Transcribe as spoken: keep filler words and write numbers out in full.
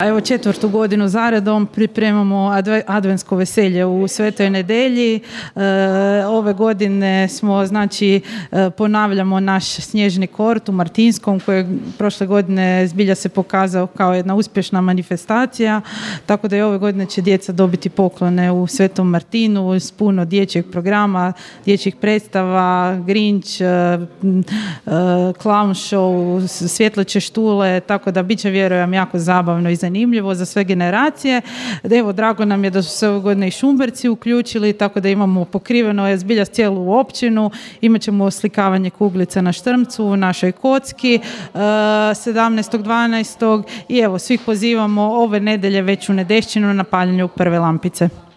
Evo četvrtu godinu zaredom pripremamo adventsko veselje u Svetoj Nedelji. E, ove godine smo, znači, ponavljamo naš snježni kort u Martinskom, koji prošle godine zbilja se pokazao kao jedna uspješna manifestacija, tako da i ove godine će djeca dobiti poklone u Svetom Martinu s puno dječjeg programa, dječjih predstava, Grinch, e, e, clown show, svjetleće štule, tako da bit će, vjerujem, jako zabavno i zanimljivo za sve generacije. Evo, drago nam je da su se ove godine i Šumberci uključili, tako da imamo pokriveno je zbilja cijelu općinu. Imat ćemo oslikavanje kuglica na Štrmcu u našoj kocki sedamnaestog dvanaestog i evo, svih pozivamo ove nedelje već u Nedešćinu na paljenju prve lampice.